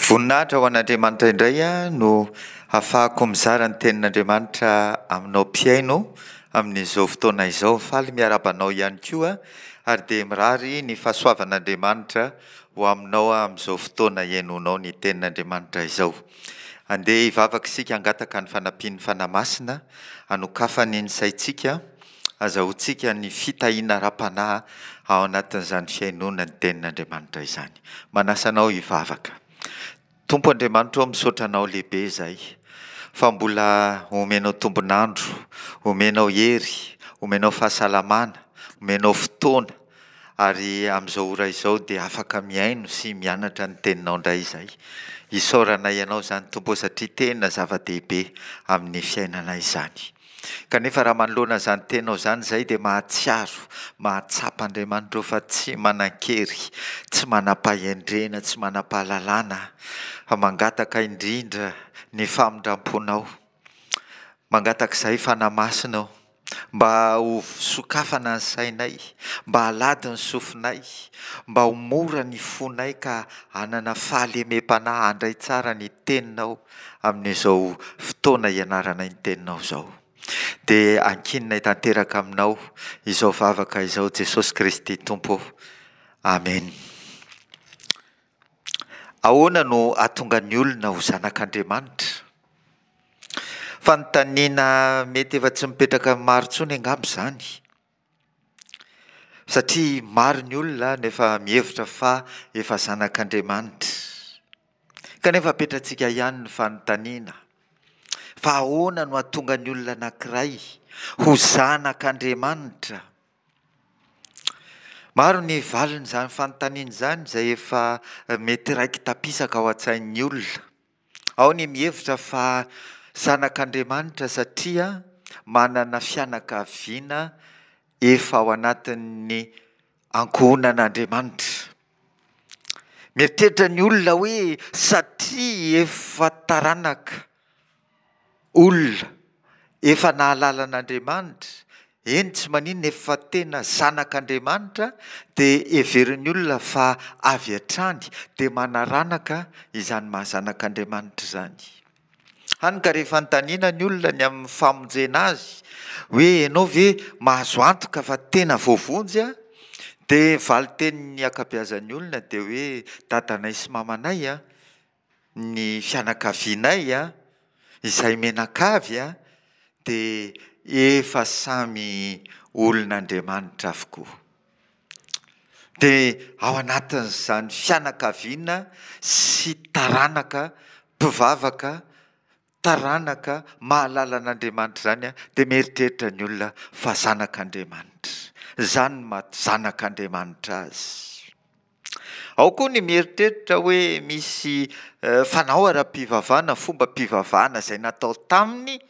Voninahitra ho an'Andriamanitra indray no hafahako mizara ny tenin'Andriamanitra aminao mpihaino amin'izao fotoana izao. Faly miarahaba anao ihany koa ary dia mirary ny fahasoavan'Andriamanitra ho aminao amin'izao fotoana ihainoanao ny tenin'Andriamanitra izao. Andeha hivavaka isika hangataka ny fanampian'ny Fanahy Masina hanokafany ny saintsika Azahoantsika ny fitahiana ara-panahy ao anatin'izany fihainoana ny Tenin'Andriamanitra izany. Manasa anao hivavaka. Tompo Andriamanitra ô, misaotra Anao lehibe izahay fa mbola omenao tombon'andro, omenao hery, omenao fahasalamana, omenao fotoana, ary amin'izao ora izao dia afaka mihaino sy mianatra ny Teninao indray izahay. Isaoranay Anao izany Tompo ô satria tena zava-dehibe amin'ny fiainanay izany. Kanefa raha manoloana izany teninao izany izahay dia mahatsiaro, mahatsapa Andriamanitra ô fa tsy manan-kery, tsy manam-pahendrena, tsy manam-pahalalana fa mangataka indrindra ny famindram-ponao. Mangataka izahay Fanahy Masina ô, mba ho sokafana ny sainay, mba halady ny sofinay, mba ho mora ny fonay ka hanana fahalemem-panahy handray tsara ny teninao amin'izao fotoana ianaranay ny teninao izao. Dia ankininay tanteraka aminao izao vavaka izao Jesosy Kristy Tompo ô. Amen. Ahoana no hahatonga ny olona ho zanak'Andriamanitra? Fanontaniana mety efa tsy mipetraka amin'ny maro intsony angamba izany. Satria maro ny olona no efa mihevitra fa efa zanak'Andriamanitra. Kanefa apetratsika ihany ny fanontaniana, fa ahoana no hahatonga ny olona anankiray ho zanak'Andriamanitra? Maro ny valin'izany fanontaniana izany izay efa mety raiki-tapisaka ao an-tsain'ny olona. Ao ny mihevitra fa zanak'Andriamanitra satria manana fianakaviana efa ao anatin'ny ankohonan'Andriamanitra. Mieritreritra ny olona hoe satria efa taranaka olona efa nahalala an'Andriamanitra, eny tsy maninona efa tena zanak'Andriamanitra dia heverin'ny olona fa avy hatrany dia manaranaka izany maha zanak'Andriamanitra izany. Hany ka rehefa anontaniana ny olona ny amin'ny famonjena azy hoe ianao ve mahazo antoka fa tena voavonjy a? Dia valin-tenin'ny ankabeazan'ny olona dia hoe dadanay sy mamanay a, ny fianakavianay a, izay mianakavy a, dia efa samy olon'Andriamanitra avokoa. Dia ao anatin'izany fianakaviana sy taranaka mpivavaka, taranaka mahalala an'Andriamanitra izany dia mieritreritra ny olona fa zanak'Andriamanitra. Izany no maha zanak'Andriamanitra azy. Ao koa ny mieritreritra hoe misy fanao ara-pivavahana, fombam-pivavahana izay natao taminy,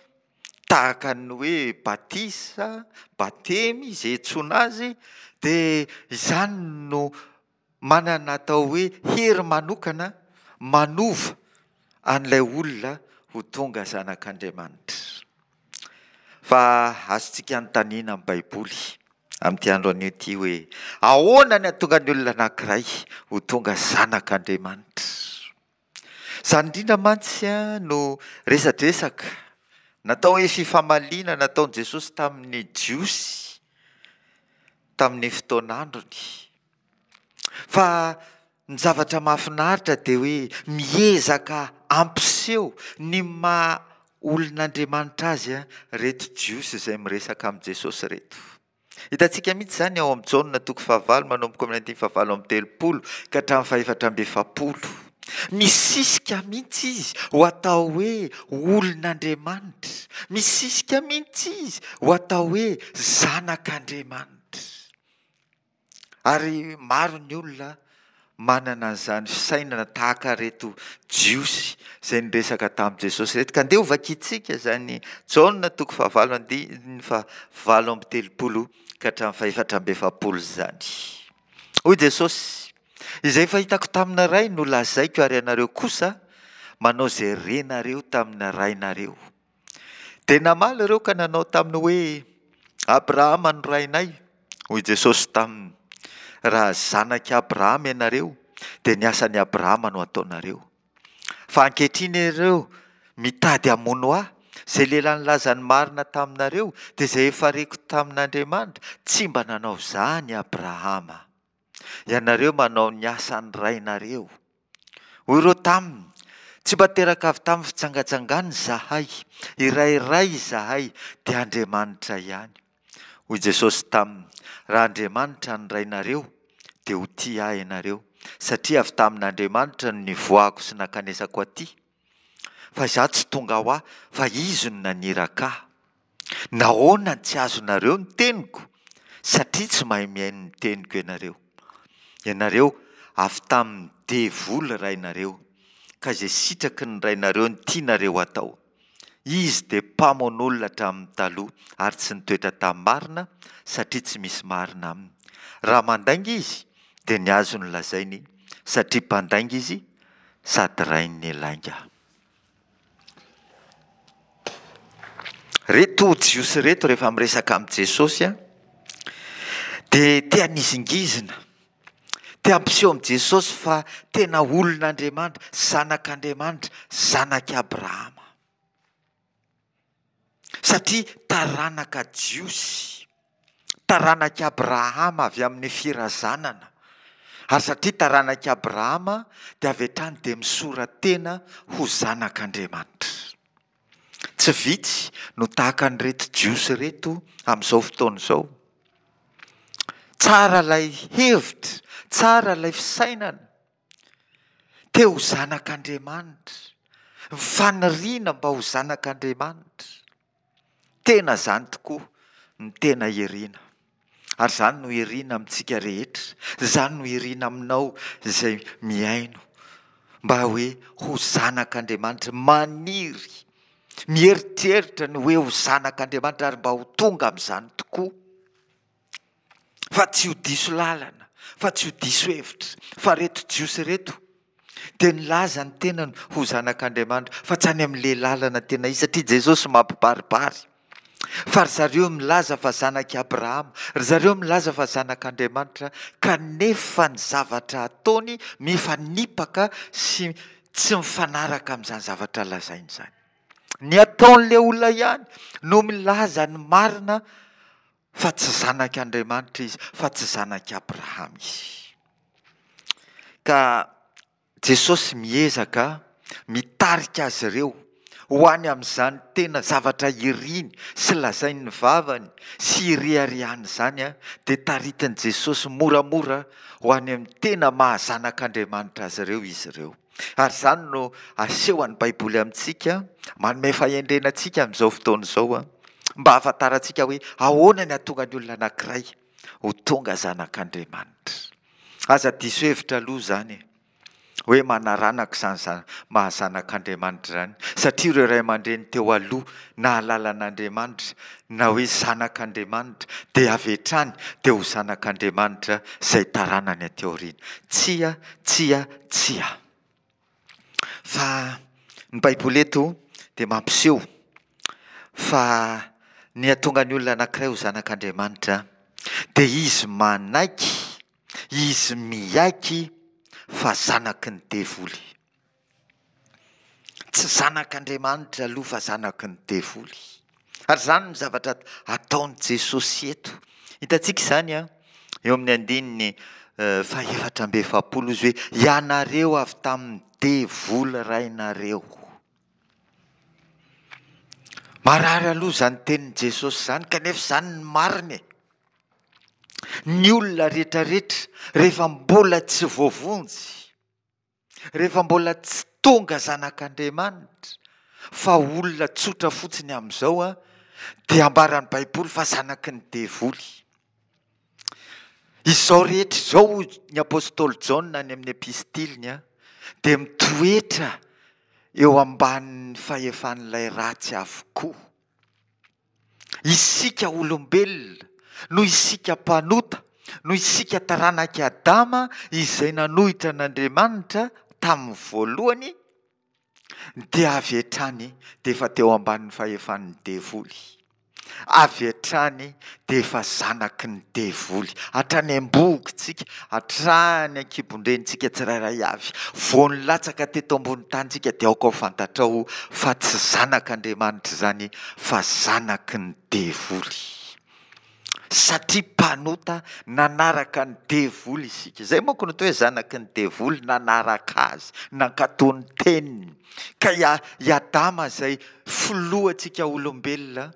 tahaka ny hoe batisa, batemy, izay iantsoana azy, dia izany no manana atao hoe hery manokana manova an'ilay olona ho tonga zanak'Andriamanitra. Fa azontsika anontaniana amin'ny Baiboly amin'ity andro anio ity hoe, ahoana ny hahatonga ny olona anankiray ho tonga zanak'Andriamanitra? Izany indrindra mantsy no resadresaka natao hoe fifamaliana nataon'i Jesosy tamin'ny Jiosy tamin'ny fotoan'androny. Fa ny zavatra mahafinaritra dia hoe miezaka hampiseho ny maha olon'Andriamanitra azy ireto Jiosy izay miresaka amin'i Jesosy ireto. Hitantsika mihitsy izany ao amin'i Jaona toko fahavalo manomboka amin'ny andininy fahavalo amby telopolo ka hatramin'ny fahefatra amby efapolo. Misisika mihitsy izy ho atao hoe olon'Andriamanitra. Misisika mihitsy izy ho atao hoe zanak'Andriamanitra. Ary maro ny olona manana an'izany fisainana tahaka ireto Jiosy izay niresaka tamin'i Jesosy ireto. Ka andeha hovakintsika izany Jaona toko fahavalo andininy fahavalo amby telopolo ka hatramin'ny fahefatra amby efapolo izany. Hoy Jesosy, Izay efa hitako tamin'ny Ray no lazaiko ary ianareo kosa manao izay renareo tamin'ny rainareo. Dia namaly ireo ka nanao taminy hoe, Abrahama no rainay. Hoy Jesosy taminy, Raha zanak'i Abrahama ianareo, dia ny asan'i Abrahama no hataonareo. Fa ankehitriny ianareo mitady hamono Ahy, izay lehilahy nilaza ny marina taminareo, dia izay efa reko tamin'Andriamanitra, tsy mba nanao izany Abrahama. Ianareo manao ny asan'ny rainareo. Hoy ireo taminy, Tsy mba teraka avy tamin'ny fijangajangana izahay, iray Ray izahay, dia Andriamanitra ihany. Hoy Jesosy taminy, Raha Andriamanitra ny Rainareo, dia ho tia Ahy ianareo, satria avy tamin'Andriamanitra no nivoahako sy nankanesako aty. Fa Izaho tsy tonga ho Ahy, fa Izy no naniraka Ahy. Nahoana no tsy azonareo ny teniko? Satria tsy mahay mihaino ny teniko ianareo. Ianareo avy tamin'ny devoly rainareo, ka izay sitraky ny rainareo no tianareo hatao. Izy dia mpamono olona hatramin'ny taloha ary tsy nitoetra tamin'ny marina, satria tsy misy marina aminy. Raha mandainga izy, dia ny azy no lazainy, satria mpandainga izy sady rain'ny lainga. Reto Jiosy ireto rehefa miresaka amin'i Jesosy dia te hanizingizina, te hampiseho amin'i Jesosy fa tena olon'Andriamanitra, zanak'Andriamanitra, zanak'i Abrahama. Satria taranaka Jiosy, taranak'i Abrahama avy amin'ny firazanana, ary satria taranak'i Abrahama dia avy hatrany dia misora-tena ho zanak'Andriamanitra. Tsy vitsy no tahaka an'ireto Jiosy ireto amin'izao fotoana izao. Tsara ilay hevitra, tsara ilay fisainana. Te ho zanak'Andriamanitra, ny faniriana mba ho zanak'Andriamanitra. Tena izany tokoa no tena irina. Ary izany no irina amintsika rehetra, izany no irina aminao izay mihaino, mba hoe ho zanak'Andriamanitra, maniry, mieritreritra ny hoe ho zanak'Andriamanitra ary mba ho tonga amin'izany tokoa. Fa tsy ho diso lalana, fa tsy ho diso hevitra. Fa ireto Jiosy ireto dia nilaza ny tenany ho zanak'Andriamanitra, fa tsy any amin'ilay lalana tena izy, satria Jesosy mampibaribary fa ry zareo milaza fa zanak'i Abrahama, ry zareo milaza fa zanak'Andriamanitra, kanefa ny zavatra ataony mifanipaka sy tsy mifanaraka amin'izany zavatra lazainy izany. Ny ataon'ilay olona ihany no milaza ny marina fa tsy zanak' Andriamanitra izy, fa tsy zanak' Abrahama izy. Ka Jesosy miezaka mitarika azy ireo ho any amin'izany tena zavatra iriny sy lazain'ny vavany sy ireharehany izany, dia taritin'i Jesosy moramora ho any amin'ny tena maha zanak'Andriamanitra azy ireo izy ireo. Ary izany no asehon'ny Baiboly amintsika, manome fahendrena antsika amin'izao fotoana izao, mba hahafantarantsika hoe ahoana ny hahatonga ny olona anankiray ho tonga zanak'Andriamanitra. Aza diso hevitra aloha izany e, hoe manaranaka izany zana- maha zanak'Andriamanitra izany, satria ireo ray aman-dreny teo aloha nahalala an'Andriamanitra na hoe zanak'Andriamanitra dia avy hatrany dia ho zanak'Andriamanitra izay taranany aty aoriana. Tsia, tsia, Tsia. Fa ny Baiboly eto dia mampiseho fa ny hahatonga ny olona anankiray ho zanak'Andriamanitra dia izy manaiky, izy miaiky fa zanaky ny devoly. Tsy zanak'Andriamanitra aloha fa zanaky ny devoly. Ary izany no zavatra ataon'i Jesosy eto. Hitantsika izany an, eo amin'ny andininy fahefatra amby efapolo izy hoe ianareo avy tamin'ny devoly rainareo. Marary aloha izany tenin'i Jesosy izany kanefa izany ny marina e. Ny olona rehetrarehetra rehefa mbola tsy voavonjy Rehefa mbola tsy tonga zanak'Andriamanitra fa olona tsotra fotsiny amin'izao dia ambaran'ny Baiboly fa zanaky ny devoly. Izao rehetra izao hoy ny apostoly Jaona any amin'ny epistiliny dia mitoetra eo ambanin'ny fahefan'ilay ratsy avokoa. Isika olombelona, noho isika mpanota, noho isika taranak'i Adama izay nanohitra an'Andriamanitra tamin'ny voalohany, dia avy hatrany dia efa teo ambanin'ny fahefan'ny devoly. Avy hatrany dia efa zanaky ny devoly. Hatrany am-bohokontsika, hatrany an-kibon-drenintsika tsirairay avy. Vao nilatsaka teto ambony tany isika dia aoka ho fantatrao fa tsy zanak'Andriamanitra izany fa zanaky ny devoly. Satria mpanota nanaraka ny devoly isika. Izay manko no atao hoe zanaky ny devoly, nanaraka azy, nankatò ny teniny. Ka i i Adama izay filohantsika olombelona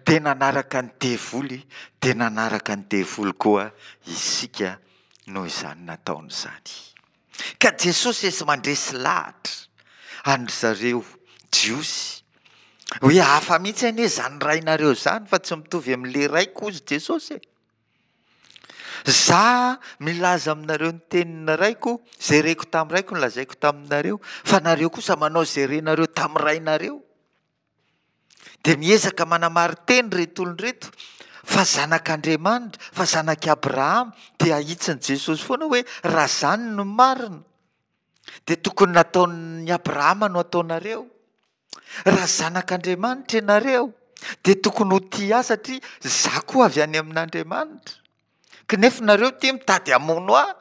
dia nanaraka ny devoly, dia nanaraka ny devoly koa isika noho izany nataony izany. Ka Jesosy esy mandresy lahatra an-dry zareo Jiosy hoe hafa mihitsy anie izany rainareo izany fa tsy mitovy amin'ilay raiko hozy Jesosy e. Za milaza aminareo ny tenin'ny raiko, izay reko tamin'ny raiko no lazaiko taminareo, fa nareo kosa manao izay renareo tamin'ny rainareo. Dia miezaka manamarin-teny ireto olona ireto fa zanak'Andriamanitra, fa zanak'i Abrahama, dia ahitsin'i Jesosy foana hoe raha izany no marina dia tokony nataon'i Abrahama no ataonareo. Raha zanak'Andriamanitra ianareo dia tokony ho tia ahy satria za koa avy any amin'Andriamanitra. Kanefa nareo ity mitady hamono ahy.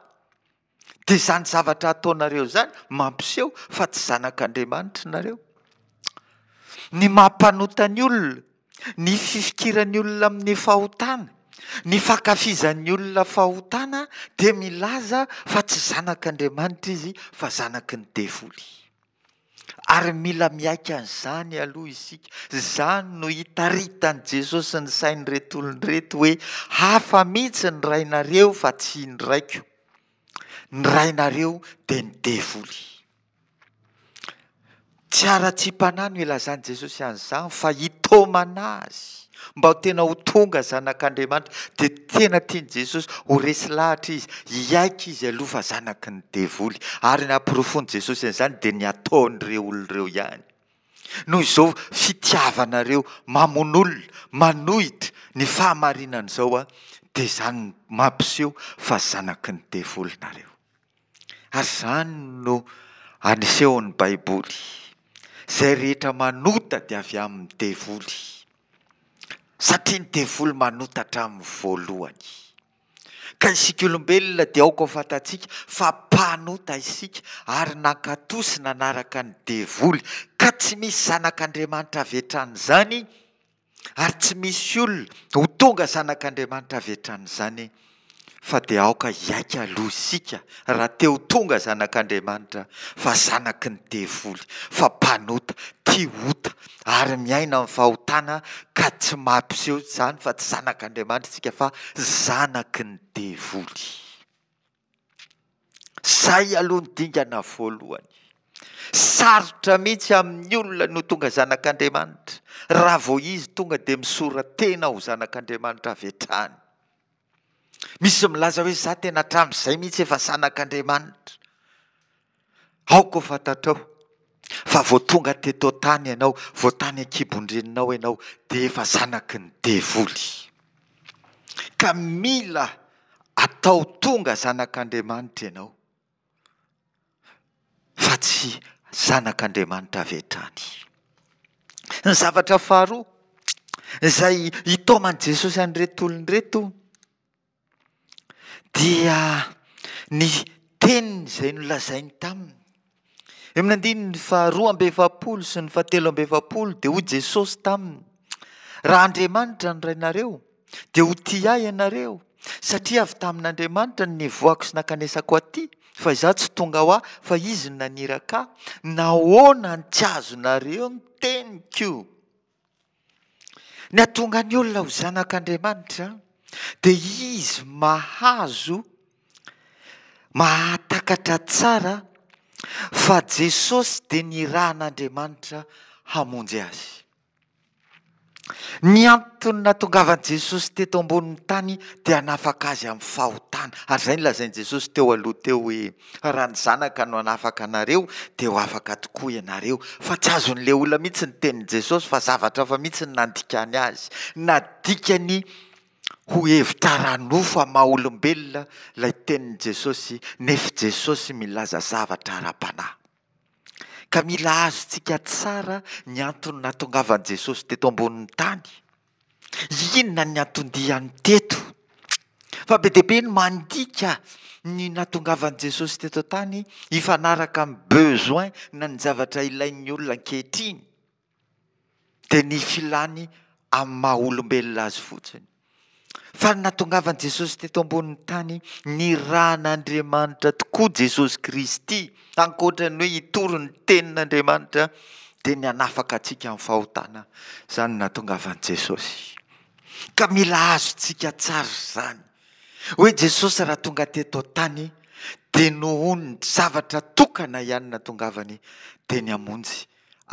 Dia izany zavatra ataonareo izany mampiseho fa tsy zanak'Andriamanitra nareo. Ny maha mpanota ny olona, ny fifikiran'ny olona amin'ny fahotana, ny fankafizan'ny olona fahotana dia milaza fa tsy zanak'Andriamanitra izy fa zanaky ny devoly. Ary mila miaiky an'izany aloha isika. Izany no itaritan'i Jesosy ny sain'ireto olona ireto hoe hafa mihitsy ny rainareo fa tsy ny raiko. Ny rainareo dia ny devoly. Tsy haratsiam-panahy no ilazan'i Jesosy an'izany fa hitaomana azy mba ho tena ho tonga zanak'Andriamanitra. Dia tena tian'i Jesosy ho resy lahatra izy, hiaiky izy aloha fa zanaky ny devoly. Ary ny haporofoan'i Jesosy an'izany dia ny ataon'ireo olona ireo ihany. Noho izao fitiavanareo mamono olona, manohitra ny fahamarinana izao, dia izany mampiseho fa zanaky ny devoly nareo. Ary izany no anisehon'ny Baiboly. Izay rehetra manota dia avy amin'ny devoly. Satria ny devoly manota hatramin'ny voalohany. Ka isika olombelona dia aoka ho fantatsika fa mpanota isika ary nankatò sy nanaraka ny devoly. Ka tsy misy zanak'Andriamanitra avy hatrany izany Ary tsy misy olona ho tonga zanak'Andriamanitra avy hatrany izany fa dia aoka hiaiky aloha isika raha te ho tonga zanak'Andriamanitra fa zanaky ny devoly, fa mpanota, tia ota ary miaina amin'ny fahotana ka tsy mampiseho izany fa tsy zanak'Andriamanitra isika fa zanaky ny devoly. Zay aloha ny dingana voalohany. Sarotra mihitsy amin'ny olona no tonga zanak'Andriamanitra raha vao izy tonga dia misora-tena ho zanak'Andriamanitra avy hatrany. Misy milaza hoe za tena hatramin'izay mihitsy efa zanak'Andriamanitra. Aoka ho fantatrao fa vao tonga teto an-tany ianao, vao tany an-kibon-dreninao ianao dia efa zanaky ny devoly. Ka mila atao tonga zanak'Andriamanitra ianao fa tsy zanak'Andriamanitra avy hatrany. Ny zavatra faharoa izay itaoman'i Jesosy an'ireto olona ireto dia ny teniny izay nolazainy taminy. Eo amin'ny andininy faharoa amby 40 sy ny fahatelo amby 40 dia hoy Jesosy taminy, Raha Andriamanitra ny Rainareo, dia ho tia ahy ianareo, satria avy tamin'Andriamanitra no nivoahako sy nankanesako aty, fa izaho tsy tonga ho ahy, fa Izy no naniraka ahy. Nahoana no tsy azonareo ny teniko? Ny hahatonga ny olona ho zanak'Andriamanitra dia izy mahazo, mahatakatra tsara fa Jesosy dia nirahan'Andriamanitra hamonjy azy. Ny antony nahatongavan'i Jesosy teto ambonin'ny tany dia hanafaka azy amin'ny fahotana. Ary izay no lazain'i Jesosy teo aloha teo hoe, Raha ny Zanaka no hanafaka anareo, dia ho afaka tokoa ianareo. Fa tsy azon'ilay olona mihitsy ny tenin'i Jesosy, fa zavatra hafa mihitsy no nandikany azy. Nadikany ho hevitra ara-nofo amin'ny maha-olombelona ilay tenin'i Jesosy, nefa Jesosy milaza zavatra ara-panahy. Ka mila azontsika tsara ny antony nahatongavan'i Jesosy teto ambonin'ny tany. Inona ny anton-diany teto? Fa be dia be ny mandika ny nahatongavan'i Jesosy teto an-tany hifanaraka amin'ny besoin na ny zavatra ilain'ny olona ankehitriny. Dia ny filany amin'ny maha olombelona azy fotsiny. Fa ny nahatongavan'i Jesosy teto ambonin'ny tany, nirahan'Andriamanitra tokoa Jesosy Kristy, ankoatra ny hoe hitory ny tenin'Andriamanitra, dia ny hanafaka antsika amin'ny fahotana. Izany no nahatongavan'i Jesosy. Ka mila azontsika tsara izany. Hoe Jesosy raha tonga teto an-tany dia nohon'ny zavatra tokana ihany natongavany dia ny hamonjy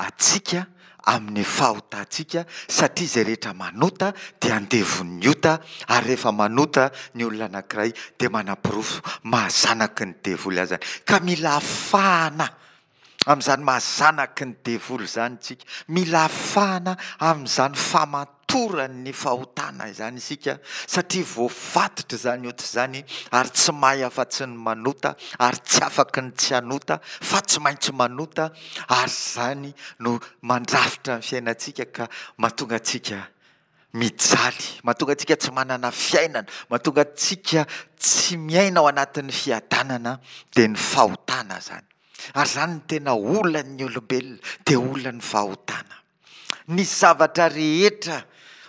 antsika amin'ny fahotantsika satria izay rehetra manota dia andevon'ny ota ary rehefa manota ny olona anankiray dia manaporofo maha zanaky ny devoly azy ka mila afahana Amin'izany maha zanaky ny devoly izany isika. Mila afahana amin'izany famatoran'ny fahotana izany isika satria voafatotra izany ota izany ary tsy mahay afa-tsy ny manota ary tsy afaky ny tsy hanota fa tsy maintsy manota ary izany no mandrafitra ny fiainantsika ka mahatonga antsika mijaly, mahatonga antsika tsy manana fiainana, mahatonga antsika tsy miaina ao anatin'ny fiadanana dia ny fahotana izany. Ary izany no tena olan'ny olombelona, dia olan'ny fahotana. Ny zavatra rehetra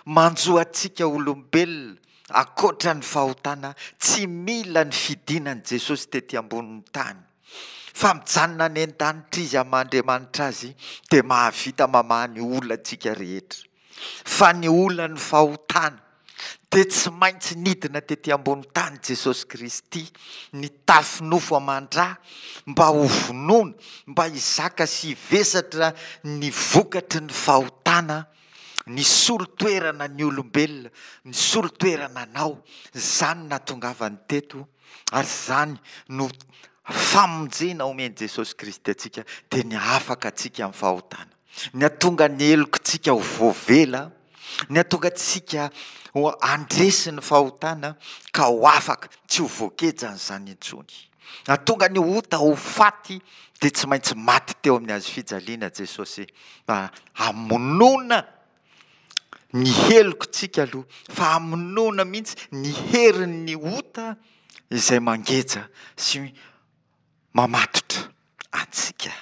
manjo antsika olombelona ankoatra ny fahotana, tsy mila ny fidinan'i Jesosy tety ambonin'ny tany. Fa mijanona any an-danitra Izy amin'ny maha Andriamanitra Azy dia mahavita mamaha ny olantsika rehetra. Fa ny olan'ny fahotana dia tsy maintsy nidina tety ambony tany Jesosy Kristy, nitafy nofo aman-dra mba ho vonoina, mba hizaka sy hivesatra ny vokatry ny fahotana, nisolo toerana ny olombelona, nisolo toerana anao. Izany no nahatongavany teto ary izany no famonjena omen'i Jesosy Kristy antsika, dia ny hahafaka antsika amin'ny fahotana. Ny hahatonga ny helokintsika ho voavela, ny hahatonga antsika ho handresy ny fahotana ka ho afaka, tsy ho voagejan'izany intsony. Hahatonga ny ota ho faty dia tsy maintsy maty teo amin'ny hazo fijaliana Jesosy mba hamonoana ny helokintsika aloha, fa hamonoana mihitsy ny herin'ny ota izay mangeja sy mamatotra antsika.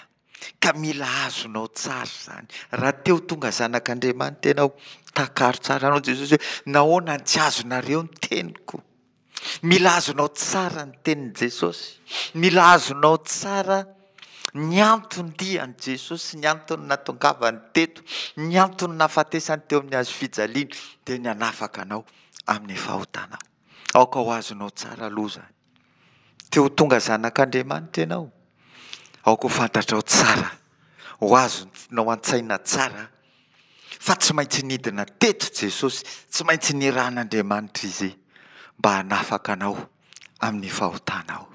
Ka mila azonao tsara izany. Raha te ho tonga zanak'Andriamanitra ianao, takaro tsara anao Jesosy hoe, nahoana no tsy azonareo ny teniko? Mila azonao tsara ny tenin'i Jesosy. Mila azonao tsara ny anton-dian'i Jesosy, ny antony natongavany teto, ny antony nahafatesany teo amin'ny hazo fijaliana, dia ny hanafaka anao amin'ny fahotanao. Aoka ho azonao tsara aloha izany. Te ho tonga zanak'Andriamanitra ianao? Aoka ho fantatrao tsara, ho azonao an-tsaina tsara fa tsy maintsy nidina teto Jesosy, tsy maintsy nirahan'Andriamanitra Izy mba hanafaka anao amin'ny fahotanao.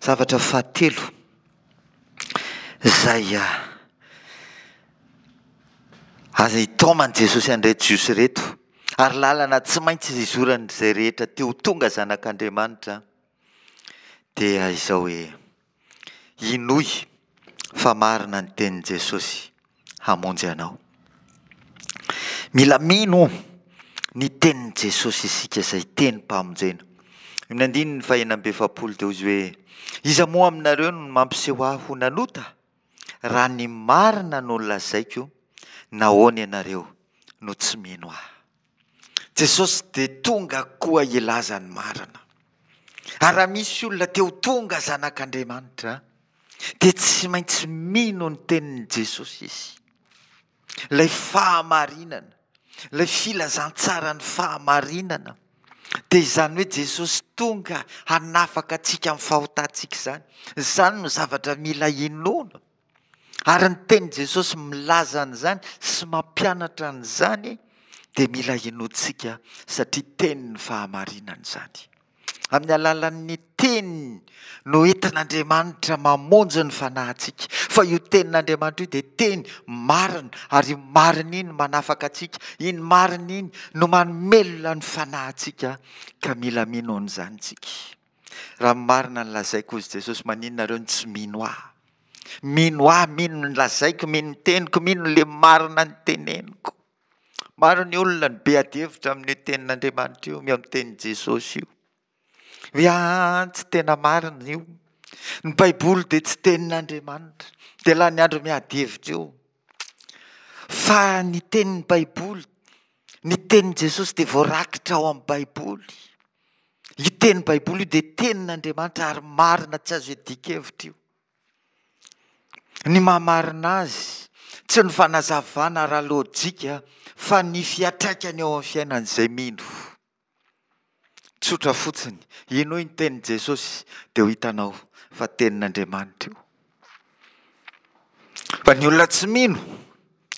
Zavatra fahatelo izay aza itaoman'i Jesosy an'ireto Jiosy ireto ary lalana tsy maintsy izoran'izay rehetra te ho tonga zanak'Andriamanitra dia izao hoe inoy fa marina ny tenin'i Jesosy hamonjy anao. Mila mino ny tenin'i Jesosy isika izay tenim-pamonjena. Amin'ny andininy faha-46 dia hoy izy hoe, Iza moa aminareo no mampiseho ahy ho nanota? Raha ny marina no lazaiko, nahoana ianareo no tsy mino ahy? Jesosy dia tonga koa hilaza ny marina. Ary raha misy olona te ho tonga zanak'Andriamanitra, dia tsy maintsy mino ny tenin'i Jesosy izy. Ilay fahamarinana, ilay filazantsaran'ny fahamarinana, dia izany hoe Jesosy tonga hanafaka antsika amin'ny fahotantsika izany. Izany no zavatra mila inoana. Ary ny tenin'i Jesosy milaza an'izany sy mampianatra an'izany dia mila inoantsika satria tenin'ny fahamarinana izany. Amin'ny alalan'ny teniny no entin'Andriamanitra mamonjy ny fanahintsika. Fa io tenin'Andriamanitra io dia teny marina ary io marina iny manafaka antsika, iny marina iny no mamelona ny fanahintsika ka mila mino an'izany isika. Raha ny marina no lazaiko hozy Jesosy, maninona nareo no tsy mino ahy? Mino ahy, mino ny lazaiko, mino ny teniko, mino le marina ny teneniko. Maro ny olona no be adihevitra amin'io tenin'Andriamanitra io, amin'ny tenin'i Jesosy io. Hoe aa tsy tena marina io. Ny Baiboly dia tsy tenin'Andriamanitra. Dia lany andro miady hevitra eo. Fa ny tenin'ny Baiboly, ny tenin'i Jesosy dia voarakitra ao amin'ny Baiboly. Io tenin'ny Baiboly io dia tenin'Andriamanitra ary marina tsy azo iadian-kevitra io. Ny maha-marina azy, tsy ny fanazavana ara-lôjika fa ny fiantraikany eo amin'ny fiainan'izay mino. Tsotra fotsiny, henoy ny tenin'i Jesosy dia ho hitanao fa tenin'Andriamanitra io. Fa ny olona tsy mino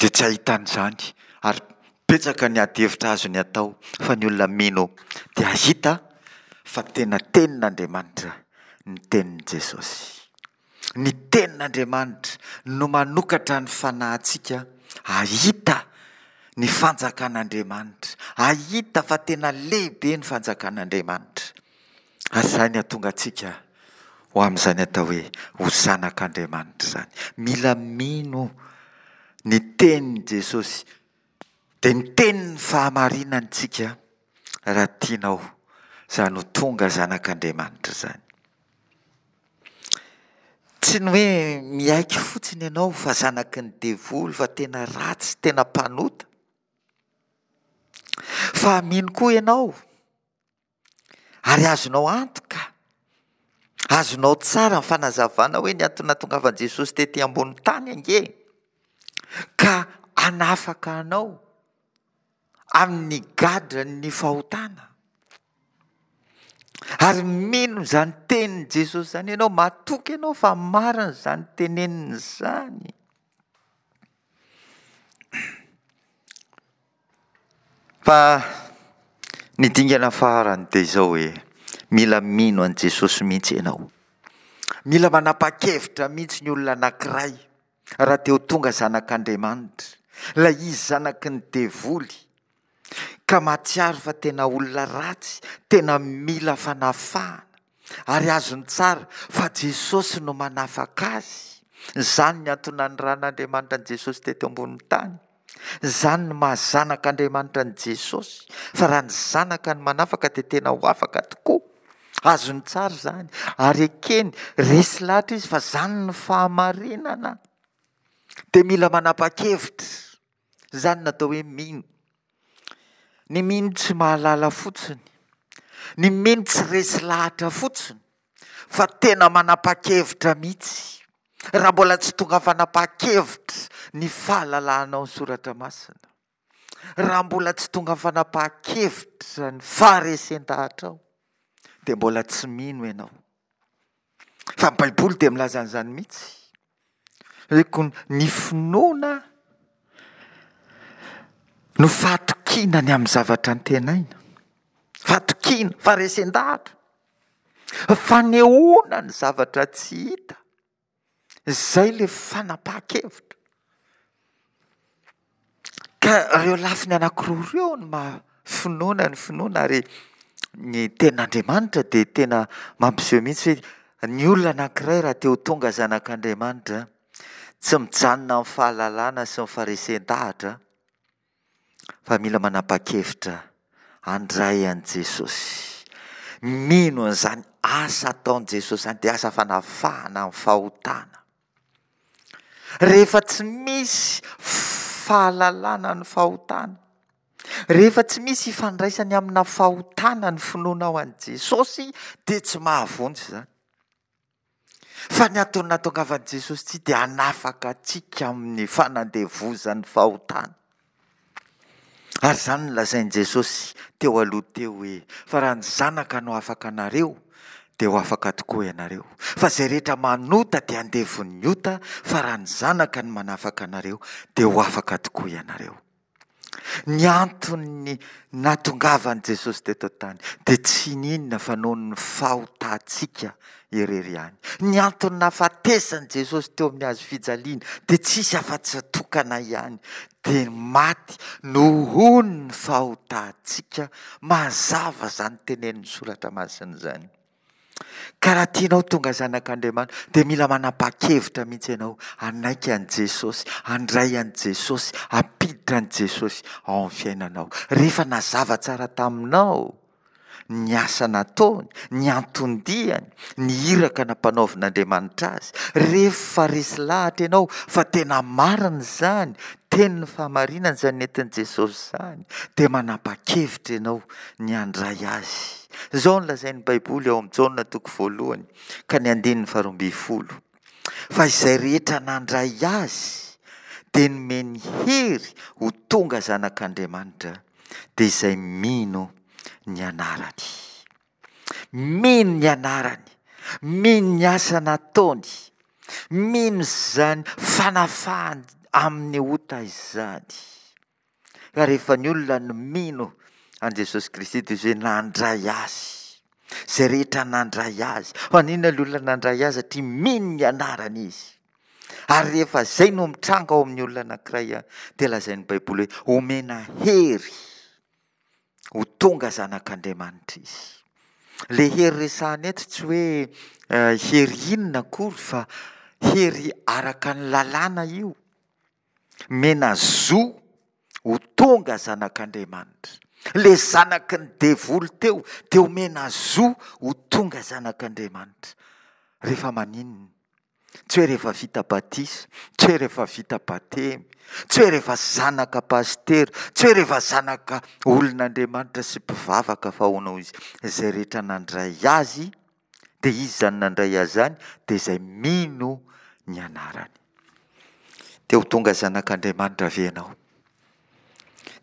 dia tsy hahita an'izany ary betsaka ny ady hevitra azony atao fa ny olona mino dia hahita fa tena tenin'Andriamanitra ny tenin'i Jesosy. Ny tenin'Andriamanitra no manokatra ny fanahintsika hahita ny fanjakan'Andriamanitra, hahita fa tena lehibe ny fanjakan'Andriamanitra. Ary izany hahatonga antsika ho amin'izany atao hoe ho zanak'Andriamanitra izany. Mila mino ny tenin'i Jesosy, dia ny tenin'ny fahamarinana isika raha tianao izany ho tonga zanak'Andriamanitra izany. Tsy ny hoe miaiky fotsiny ianao fa zanaky ny devoly, fa tena ratsy, tena mpanota. Fa mino koa ianao Ary azonao antoka, azonao tsara ny fanazavana hoe ny antony nahatongavan'i Jesosy tety ambony tany ange ka hanafaka anao amin'ny gadran'ny fahotana. Ary mino izany tenin'i Jesosy izany ianao, matoky ianao fa marina izany teneniny izany. Fa ny dingana farany dia izao hoe, mila mino an'i Jesosy mihitsy ianao. Mila manapa-kevitra mihitsy ny olona anankiray raha te ho tonga zanak'Andriamanitra. Ilay izy zanaky ny devoly ka mahatsiaro fa tena olona ratsy, tena mila fanafahana. Ary azony tsara fa Jesosy no manafaka azy. Izany ny antony naniran'Andriamanitra an'i Jesosy teto ambonin'ny tany. Izany no maha zanak'Andriamanitra an'i Jesosy, fa raha ny Zanaka no manafaka dia tena ho afaka tokoa. Azony tsara izany, ary ekeny, resy lahatra izy fa izany no fahamarinana. Dia mila manapa-kevitra. Izany no atao hoe mino. Ny mino tsy mahalala fotsiny. Ny mino tsy resy lahatra fotsiny, fa tena manapa-kevitra mihitsy. Raha mbola tsy tonga fanapahan-kevitra ny fahalalahanao ny soratra masina, raha mbola tsy tonga fanapahan-kevitra ny faharesen-dahatrao, dia mbola tsy mino ianao. Fa ny Baiboly dia milaza an'izany mihitsy. Hoe ko ny finoana no fahatokiana ny amin'ny zavatra antenaina. Fahatokiana, faharesen-dahatra. Fanehoana ny zavatra tsy hita. Izay ilay fanapahan-kevitra. Ka ireo lafiny anankiroa ireo no maha finoana ny finoana ary ny tenin'Andriamanitra dia tena mampiseho mihitsy hoe ny olona anankiray raha te ho tonga zanak'Andriamanitra tsy mijanona amin'ny fahalalana sy ny faharesen-dahatra fa mila manapa-kevitra handray an'i Jesosy. Mino an'izany asa ataon'i Jesosy izany dia asa fanafahana amin'ny fahotana. Rehefa tsy misy fahalalana ny fahotana, rehefa tsy misy ifandraisany amina fahotana ny finoanao an'i Jesosy dia tsy mahavonjy izany. Fa ny antony nahatongavan'i Jesosy ity dia hanafaka antsika amin'ny fanandevozan'ny fahotana. Ary izany no lazain'i Jesosy teo aloha teo hoe, fa raha ny Zanaka no afaka anareo, dia ho afaka tokoa ianareo. Fa izay rehetra manota dia andevon'ny ota, fa raha ny Zanaka no manafaka anareo, dia ho afaka tokoa ianareo. Ny anton'ny nahatongavan'i Jesosy teto an-tany dia tsy n'inona fa noho ny fahotantsika irery ihany. Ny antony nahafatesan'i Jesosy teo amin'ny hazo fijaliana dia tsisy afa-tsy tokana ihany, dia maty noho ny fahotantsika. Mazava izany tenenin'ny Soratra Masina izany. Ka raha tianao tonga zanak'Andriamanitra dia mila manapa-kevitra mihitsy ianao hanaiky an'i Jesosy, handray an'i Jesosy, hampiditra an'i Jesosy ao amin'ny fiainanao. Rehefa nazava tsara taminao ny asa nataony, ny anton-diany, ny iraka nampanaovin'Andriamanitra azy, rehefa resy lahatra ianao fa tena marina izany, tenin'ny fahamarinana izany nentin'i Jesosy izany, dia manapa-kevitra ianao ny handray azy. Izao no lazain'ny Baiboly ao amin'ny Jaona toko voalohany ka ny andininy faharoambinifolo, Fa izay rehetra nandray azy dia nomeny hery ho tonga zanak'Andriamanitra, dia izay mino ny anarany. Mino ny anarany, mino ny asa nataony, mino izany fanafahany amin'ny ota izany. Ka rehefa ny olona no mino an'i Jesosy Kristy dia izy hoe nandray Azy. Izay rehetra nandray Azy. Fa n'inona ilay olona nandray Azy satria mino ny anarany izy. Ary rehefa izay no mitranga ao amin'ny olona anankiray dia lazain'ny Baiboly hoe omena hery ho tonga zanak'Andriamanitra izy. Ilay hery resahana eto tsy hoe hery inona akory fa hery araka ny lalàna io. Mena zo ho tonga zanak'Andriamanitra. Ilay zanaky ny devoly teo dia omena zo ho tonga zanak'Andriamanitra. Rehefa maninona? Tsy hoe rehefa vita batisa, tsy hoe rehefa vita batemy, tsy hoe rehefa zanaka pasitera, tsy hoe rehefa zanaka olon'Andriamanitra sy mpivavaka fa hono izy izay rehetra nandray azy Dia izy izany nandray azy izany dia izay mino ny anarany. Te ho tonga zanak'Andriamanitra ve ianao?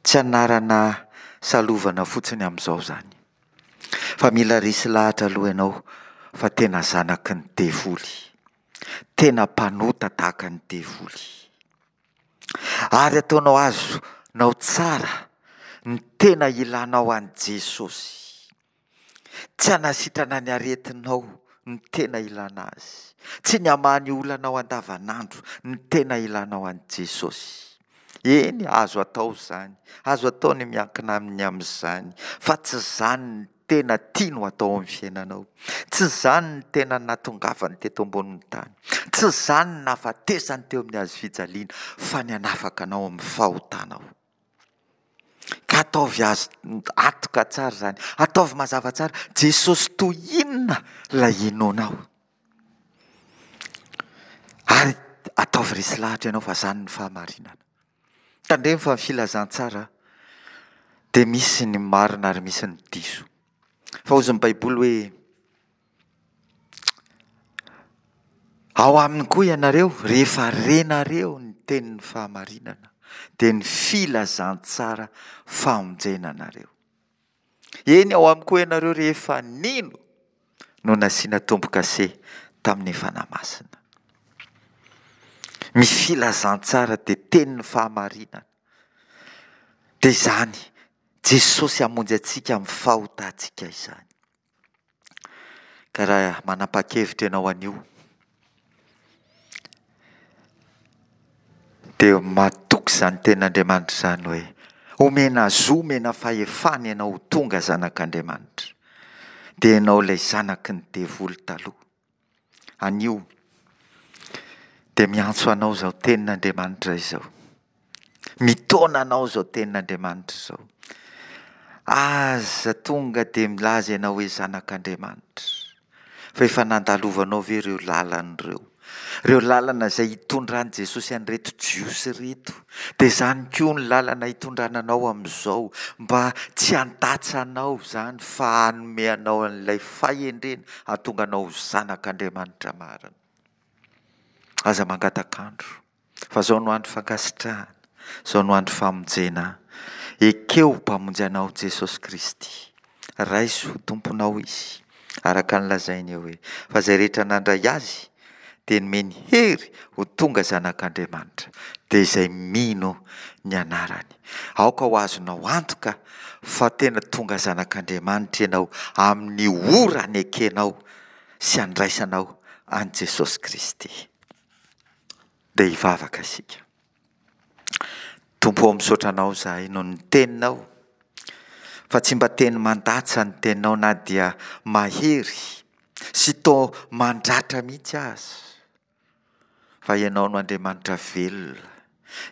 Tsy anarana salovana fotsiny amin'izao izany. Fa mila resy lahatra aloha ianao fa tena zanaky ny devoly. Tena mpanota tahaka ny devoly. Ary ataonao azonao tsara ny tena ilanao an'i Jesosy. Tsy hanasitrana ny aretinao ny tena ilana azy. Tsy ny hamaha ny olanao andavanandro ny tena ilanao an'i Jesosy. Eny, azo atao izany. Azo atao ny miankina aminy amin'izany. Fa tsy izany ny tena tiany ho atao amin'ny fiainanao. Tsy izany ny tena nahatongavany teto ambonin'ny tany. Tsy izany ny nahafatesany teo amin'ny hazo fijaliana, fa ny hanafaka anao amin'ny fahotanao. Ka ataovy azo antoka tsara izany. Ataovy mazava tsara. Jesosy toy inona ilay inoanao? Ary ataovy resy lahatra ianao fa izany ny fahamarinana. Tandremo fa ny filazantsara dia misy ny marina ary misy ny diso. Fa hozy ny Baiboly hoe Ao aminy koa ianareo, rehefa renareo ny tenin'ny fahamarinana, dia ny filazantsara famonjena anareo. Eny, ao aminy koa ianareo rehefa nino no nasiana tombo-kase tamin'ny Fanahy Masina. Ny filazantsara dia tenin'ny fahamarinana. Dia izany Jesosy hamonjy antsika amin'ny fahotantsika izany. Ka raha manapa-kevitra ianao anio, dia matoky izany tenin'Andriamanitra izany hoe omena zo, omena fahefana ianao ho tonga zanak'Andriamanitra. Dia ianao ilay zanaky ny devoly taloha. Anio dia miantso anao izao tenin'Andriamanitra izao. Mitaona anao izao tenin'Andriamanitra izao. Aza tonga dia milaza ianao hoe zanak'Andriamanitra. Fa efa nandalovanao ve ireo lalana ireo? Ireo lalana izay hitondran'i Jesosy an'ireto Jiosy ireto. Dia izany koa ny lalana hitondrana anao amin'izao, mba tsy handatsa anao izany fa hanome anao an'ilay fahendrena hahatonga anao ho zanak'Andriamanitra marina. Aza mangatak'andro, fa izao no andro fankasitrahana, izao no andro famonjena. Ekeo ho Mpamonjy anao Jesosy Kristy. Raiso ho Tomponao Izy, araka ny lazainy eo hoe, Fa izay rehetra nandray Azy dia nomeny hery ho tonga zanak'Andriamanitra, dia izay mino ny anarany. Aoka ho azonao antoka fa tena tonga zanak'Andriamanitra ianao amin'ny ora anekenao sy andraisanao an'i Jesosy Kristy. Dia hivavaka isika. Tompo ô misaotra Anao izahay noho ny Teninao, fa tsy mba teny mandatsa ny Teninao na dia mahery. sy toa mandratra mihitsy aza, fa Ianao no Andriamanitra velona,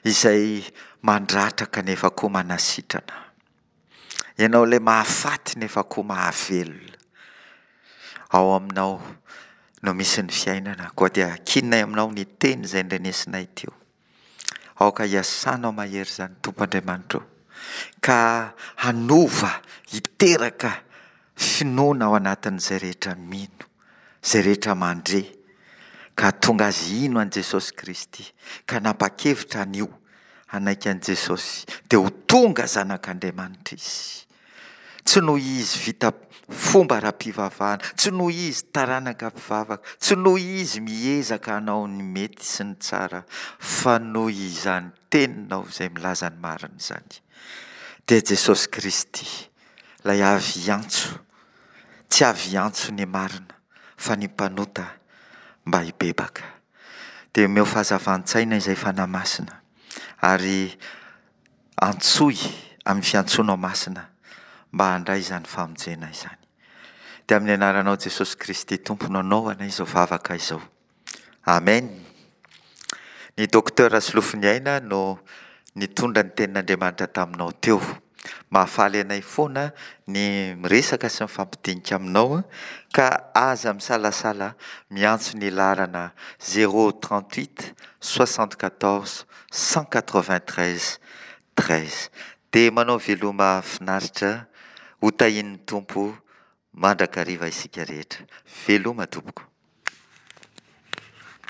izay mandratra kanefa koa manasitrana. Ianao ilay mahafaty nefa koa mahavelona. Ao aminao no misy ny fiainana, koa dia ankininay aminao ny teny izay ndrenesinay teo. Aoka hiasanao mahery izany Tompo Andriamanitra o, ka hanova, hiteraka finoana ao anatin'izay rehetra mino, izay rehetra mandre, ka hahatonga azy hino an'i Jesosy Kristy, ka hanapa-kevitra anio hanaiky an'i Jesosy, dia ho tonga zanak'Andriamanitra izy. Tsy noho izy vita fomba ara-pivavahana, tsy noho izy taranaka mpivavaka, tsy noho izy miezaka hanao ny mety sy ny tsara, fa noho izany teninao izay milaza ny marina izany. Dia Jesosy Kristy, ilay avy hiantso, tsy avy hiantso ny marina, fa ny mpanota mba hibebaka. Dia omeo fahazavan-tsaina izay Fanahy Masina, ary Antsoy amin'ny fiantsoanao masina mba handray izany famonjena izany. Dia amin'ny anaranao Jesosy Kristy Tompo no anaovana izao vavaka izao. Amen. Ny Docteur Rasolofoniaina no nitondra ny tenin'Andriamanitra taminao teo. Mahafaly anay foana ny miresaka sy mifampidinika aminao ka aza misalasala miantso ny laharana 038 74 193 13. Dia manao veloma finaritra, ho tahian'ny Tompo mandrakariva isika rehetra. Veloma tompoko.